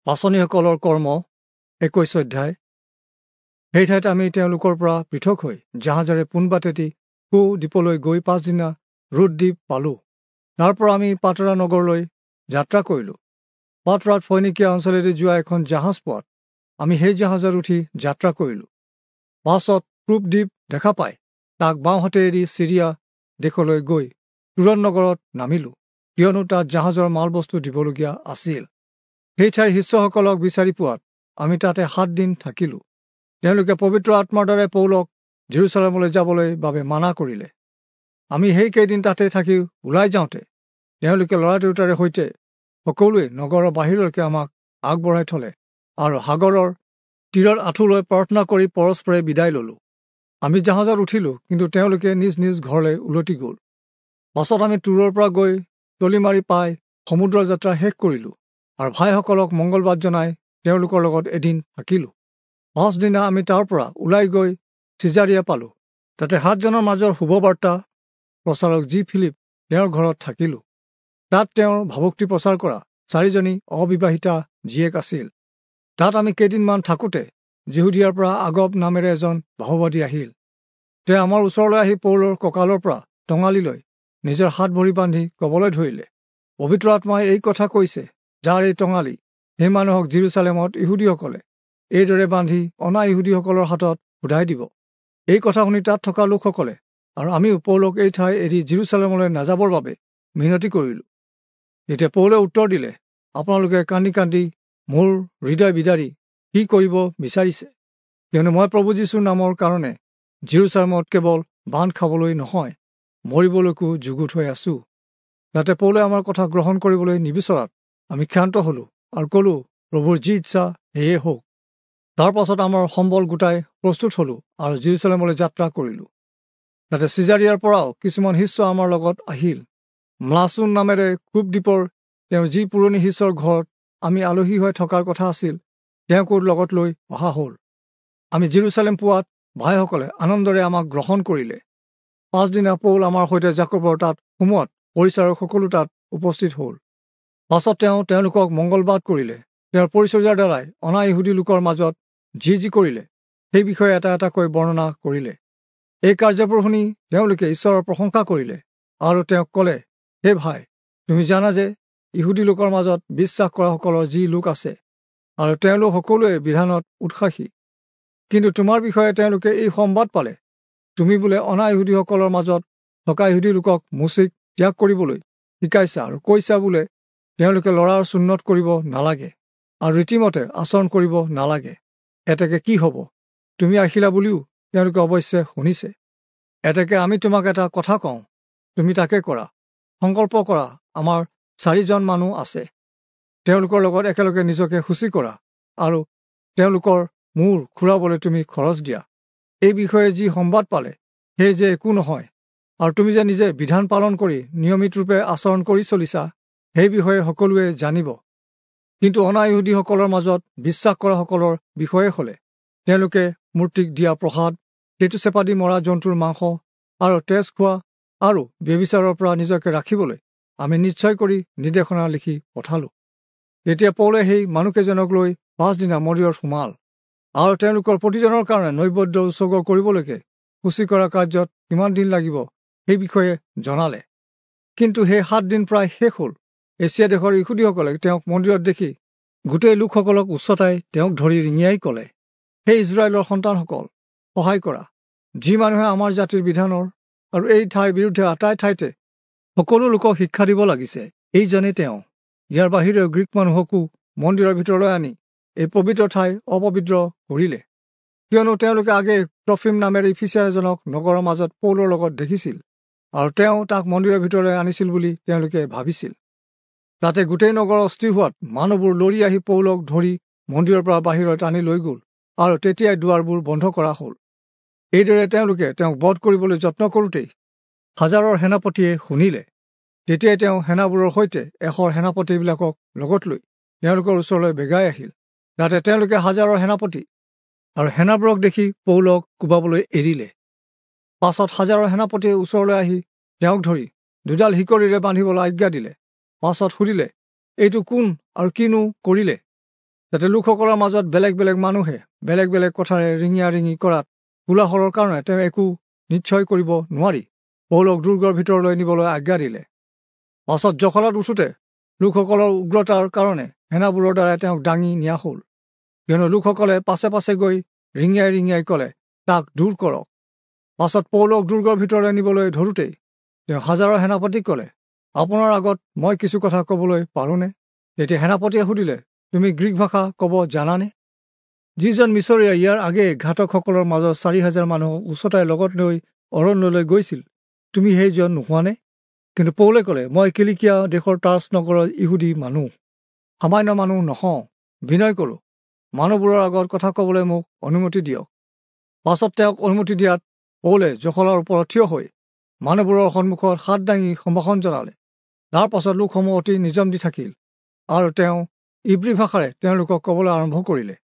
পাঁচনিসকলৰ কৰ্ম 21 অধ্যায়। সেই ঠাইত আমি তেওঁলোকৰ পৰা পৃথক হৈ জাহাজেৰে পোনবাটেদি কো দ্বীপলৈ গৈ পাছদিনা ৰোদ দ্বীপ পালোঁ। তাৰ পৰা আমি পাতৰা নগৰলৈ যাত্ৰা কৰিলোঁ। পাতৰাত ফৈনিকীয়া অঞ্চলেদি যোৱা এখন জাহাজ পোৱাত আমি সেই জাহাজত উঠি যাত্ৰা কৰিলোঁ। পাছত ক্ৰুপ দ্বীপ দেখা পাই তাক বাওঁহাতে এৰি চিৰিয়া দেশলৈ গৈ তুৰণ নগৰত নামিলোঁ, কিয়নো তাত জাহাজৰ মালবস্তু দিবলগীয়া আছিল। সেই ঠাইৰ শিষ্যসকলক বিচাৰি পোৱাত আমি তাতে 7 দিন থাকিলোঁ। তেওঁলোকে পবিত্ৰ আত্মাৰ দ্বাৰাই পৌলক জেৰুচালেমলৈ যাবলৈ বাবে মানা কৰিলে। আমি সেইকেইদিন তাতে থাকি ওলাই যাওঁতে তেওঁলোকে ল'ৰা দেউতাৰে সৈতে সকলোৱে নগৰৰ বাহিৰলৈকে আমাক আগবঢ়াই থলে আৰু সাগৰৰ তীৰত আঁঠু লৈ প্ৰাৰ্থনা কৰি পৰস্পৰে বিদায় ললোঁ। আমি জাহাজত উঠিলোঁ, কিন্তু তেওঁলোকে নিজ নিজ ঘৰলৈ উলটি গ'ল। পাছত আমি তূৰৰ পৰা গৈ তলিমাৰি পাই সমুদ্ৰ যাত্ৰা শেষ কৰিলোঁ আৰু ভাইসকলক মংগলবাদ জনাই তেওঁলোকৰ লগত এদিন থাকিলোঁ। পাছদিনা আমি তাৰ পৰা ওলাই গৈ চিজাৰিয়া পালোঁ। তাতে 7 জনৰ মাজৰ শুভবাৰ্তা প্ৰচাৰক জি ফিলিপ তেওঁৰ ঘৰত থাকিলোঁ। তাত তেওঁৰ ভাৱোক্তি প্ৰচাৰ কৰা 4 জনী অবিবাহিতা জীয়েক আছিল। তাত আমি কেইদিনমান থাকোঁতে যিহুদীয়াৰ পৰা আগব নামেৰে এজন ভাৱবাদী আহিল। তেওঁ আমাৰ ওচৰলৈ আহি পৌলৰ কঁকালৰ পৰা টঙালি লৈ নিজৰ হাত ভৰি বান্ধি ক'বলৈ ধৰিলে, পবিত্ৰ আত্মাই এই কথা কৈছে, যাৰ এই টঙালি সেই মানুহক জেৰুচালেমত ইহুদীসকলে এইদৰে বান্ধি অনা ইহুদীসকলৰ হাতত সোধাই দিব। এই কথা শুনি তাত থকা লোকসকলে আৰু আমিও পৌলক এই ঠাই এৰি জেৰুচালেমলৈ নাযাবৰ বাবে মিনতি কৰিলোঁ। তেতিয়া পৌলে উত্তৰ দিলে, আপোনালোকে কান্দি কান্দি মোৰ হৃদয় বিদাৰি কি কৰিব বিচাৰিছে? কিয়নো মই প্ৰভু যীশুৰ নামৰ কাৰণে জেৰুচালেমত কেৱল বান্ধ খাবলৈ নহয়, মৰিবলৈকো যুগুত হৈ আছোঁ। যাতে পৌলে আমাৰ কথা গ্ৰহণ কৰিবলৈ নিবিচৰাত আমি ক্ষান্ত হলোঁ আৰু ক'লোঁ, প্ৰভুৰ যি ইচ্ছা সেয়ে হওক। তাৰ পাছত আমাৰ সম্বল গোটাই প্ৰস্তুত হলোঁ আৰু জেৰুচালেমলৈ যাত্ৰা কৰিলোঁ। তাতে চিজাৰিয়াৰ পৰাও কিছুমান শিষ্য আমাৰ লগত আহিল। ম্লাচুন নামেৰে ক্ৰুপ দ্বীপৰ তেওঁৰ যি পুৰণি শিষ্যৰ ঘৰত আমি আলহী হৈ থকাৰ কথা আছিল, তেওঁকো লগত লৈ অহা হ'ল। আমি জেৰুচালেম পোৱাত ভাইসকলে আনন্দৰে আমাক গ্ৰহণ কৰিলে। পাছদিনা পৌল আমাৰ সৈতে যাকোবৰ তাত সোমোৱাত পৰিচাৰক সকলো তাত উপস্থিত হ'ল। পাছত তেওঁ তেওঁলোকক মংগলবাদ কৰিলে। তেওঁৰ পৰিচৰ্যাৰ দ্বাৰাই অনা ইহুদী লোকৰ মাজত যি যি কৰিলে সেই বিষয়ে এটা এটাকৈ বৰ্ণনা কৰিলে। এই কাৰ্যবোৰ শুনি তেওঁলোকে ঈশ্বৰৰ প্ৰশংসা কৰিলে আৰু তেওঁক ক'লে, হে ভাই, তুমি জানা যে ইহুদী লোকৰ মাজত বিশ্বাস কৰাসকলৰ যি লোক আছে আৰু তেওঁলোক সকলোৱে বিধানত উৎসাহী, কিন্তু তোমাৰ বিষয়ে তেওঁলোকে এই সম্বাদ পালে, তুমি বোলে অনা ইহুদীসকলৰ মাজত থকা ইহুদী লোকক মোচিক ত্যাগ কৰিবলৈ শিকাইছা আৰু কৈছা বোলে তেওঁলোকে ল'ৰাৰ চুন্নত কৰিব নালাগে আৰু ৰীতিমতে আচৰণ কৰিব নালাগে। এতেকে কি হ'ব? তুমি আহিলা বুলিও তেওঁলোকে অৱশ্যে শুনিছে। এতেকে আমি তোমাক এটা কথা কওঁ, তুমি তাকে কৰা। সংকল্প কৰা, আমাৰ 4 জন মানুহ আছে, তেওঁলোকৰ লগত একেলগে নিজকে সূচী কৰা আৰু তেওঁলোকৰ মূৰ খুৰাবলৈ তুমি খৰচ দিয়া। এই বিষয়ে যি সম্বাদ পালে সেই যে একো নহয়, আৰু তুমি যে নিজে বিধান পালন কৰি নিয়মিতৰূপে আচৰণ কৰি চলিছা সেই বিষয়ে সকলোৱে জানিব। কিন্তু অনা ইহুদীসকলৰ মাজত বিশ্বাস কৰাসকলৰ বিষয়ে হ'লে তেওঁলোকে মূৰ্তিক দিয়া প্ৰসাদ, টেটু চেপা দি মৰা জন্তুৰ মাংস আৰু তেজ খোৱা আৰু ব্যভিচাৰৰ পৰা নিজকে ৰাখিবলৈ আমি নিশ্চয় কৰি নিৰ্দেশনা লিখি পঠালোঁ। তেতিয়া পৌলে সেই মানুহকেইজনক লৈ পাছদিনা মন্দিৰত সোমাল আৰু তেওঁলোকৰ প্ৰতিজনৰ কাৰণে নৈবেদ্য উৎসৰ্গ কৰিবলৈকে সূচী কৰা কাৰ্যত কিমান দিন লাগিব সেই বিষয়ে জনালে। কিন্তু সেই 7 দিন প্ৰায় শেষ হ'ল। এছিয়া দেশৰ ইহুদীসকলে তেওঁক মন্দিৰত দেখি গোটেই লোকসকলক উচতাই তেওঁক ধৰি ৰিঙিয়াই ক'লে, হে ইজৰাইলৰ সন্তানসকল, সহায় কৰা। যি মানুহে আমাৰ জাতিৰ বিধানৰ আৰু এই ঠাইৰ বিৰুদ্ধে আটাই ঠাইতে সকলো লোকক শিক্ষা দিব লাগিছে, এইজনেই তেওঁ। ইয়াৰ বাহিৰেও গ্ৰীক মানুহকো মন্দিৰৰ ভিতৰলৈ আনি এই পবিত্ৰ ঠাই অপবিত্ৰ কৰিলে। কিয়নো তেওঁলোকে আগে ট্ৰফিম নামেৰে ইফিচিয়া এজনক নগৰৰ মাজত পৌলৰ লগত দেখিছিল আৰু তেওঁ তাক মন্দিৰৰ ভিতৰলৈ আনিছিল বুলি তেওঁলোকে ভাবিছিল। তাতে গোটেই নগৰ অস্থিৰ হোৱাত মানুহবোৰ লৰি আহি পৌলক ধৰি মন্দিৰৰ পৰা বাহিৰত আনি লৈ গ'ল আৰু তেতিয়াই দুৱাৰবোৰ বন্ধ কৰা হ'ল। এইদৰে তেওঁলোকে তেওঁক বধ কৰিবলৈ যত্ন কৰোঁতেই হাজাৰৰ সেনাপতিয়ে শুনিলে। তেতিয়াই তেওঁ সেনাবোৰৰ সৈতে 100 সেনাপতিবিলাকক লগত লৈ তেওঁলোকৰ ওচৰলৈ বেগাই আহিল। যাতে তেওঁলোকে হাজাৰৰ সেনাপতি আৰু সেনাবোৰক দেখি পৌলক কোবাবলৈ এৰিলে। পাছত হাজাৰৰ সেনাপতিয়ে ওচৰলৈ আহি তেওঁক ধৰি দুডাল শিকৰিৰে বান্ধিবলৈ আজ্ঞা দিলে। পাছত সুধিলে, এইটো কোন আৰু কিনো কৰিলে? যাতে লোকসকলৰ মাজত বেলেগ বেলেগ মানুহে বেলেগ বেলেগ কথাৰে ৰিঙিয়া ৰিঙি কৰাত কোলাহলৰ কাৰণে তেওঁ একো নিশ্চয় কৰিব নোৱাৰি পৌলক দুৰ্গৰ ভিতৰলৈ নিবলৈ আজ্ঞা দিলে। পাছত জখলাত উঠোঁতে লোকসকলৰ উগ্ৰতাৰ কাৰণে সেনাবোৰৰ দ্বাৰাই তেওঁক দাঙি নিয়া হ'ল, কিয়নো লোকসকলে পাছে পাছে গৈ ৰিঙিয়াই ৰিঙিয়াই ক'লে, তাক দূৰ কৰক। পাছত পৌলক দুৰ্গৰ ভিতৰলৈ নিবলৈ ধৰোঁতেই তেওঁ হাজাৰৰ সেনাপতিক ক'লে, আপোনাৰ আগত মই কিছু কথা ক'বলৈ পাৰোঁনে? তেতিয়া সেনাপতিয়ে সুধিলে, তুমি গ্ৰীক ভাষা ক'ব জানানে? যিজন মিছৰীয়া ইয়াৰ আগেয়ে ঘাতকসকলৰ মাজত 4000 মানুহক উচতাই লগত লৈ অৰণ্যলৈ গৈছিল, তুমি সেইজন নোহোৱানে? কিন্তু পৌলে ক'লে, মই কিলিকিয়া দেশৰ টাৰ্চ নগৰৰ ইহুদী মানুহ, সামান্য মানুহ নহওঁ। বিনয় কৰোঁ, মানুহবোৰৰ আগত কথা ক'বলৈ মোক অনুমতি দিয়ক। পাছত তেওঁক অনুমতি দিয়াত পৌলে জখলাৰ ওপৰত থিয় হৈ মানুহবোৰৰ সন্মুখত হাত দাঙি সম্ভাষণ জনালে। তাৰ পাছত লোকসমূহ অতি নিজম দি থাকিল আৰু তেওঁ ইব্ৰী ভাষাৰে তেওঁলোকক ক'বলৈ আৰম্ভ কৰিলে।